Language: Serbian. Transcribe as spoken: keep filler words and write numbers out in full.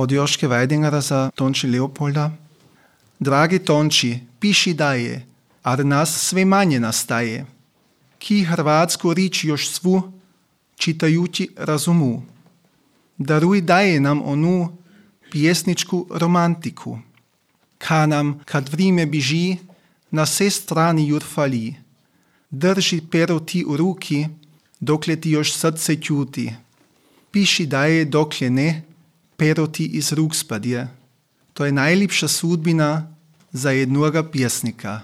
od Joške Weidingera za Tonči Leopolda. Dragi Tonči, piši daje, ar nas sve manje nastaje. Ki hrvatsku rič još svu, čitajući razumu. Daruj daje nam onu pjesničku romantiku. Ka nam, kad vrime biži, na sve strani jur fali. Drži pero ti u ruki, dokle ti još srce ćuti. Piši daje dokle ne, pero ti iz ruk spadje. To je najljepša sudbina za jednoga pjesnika.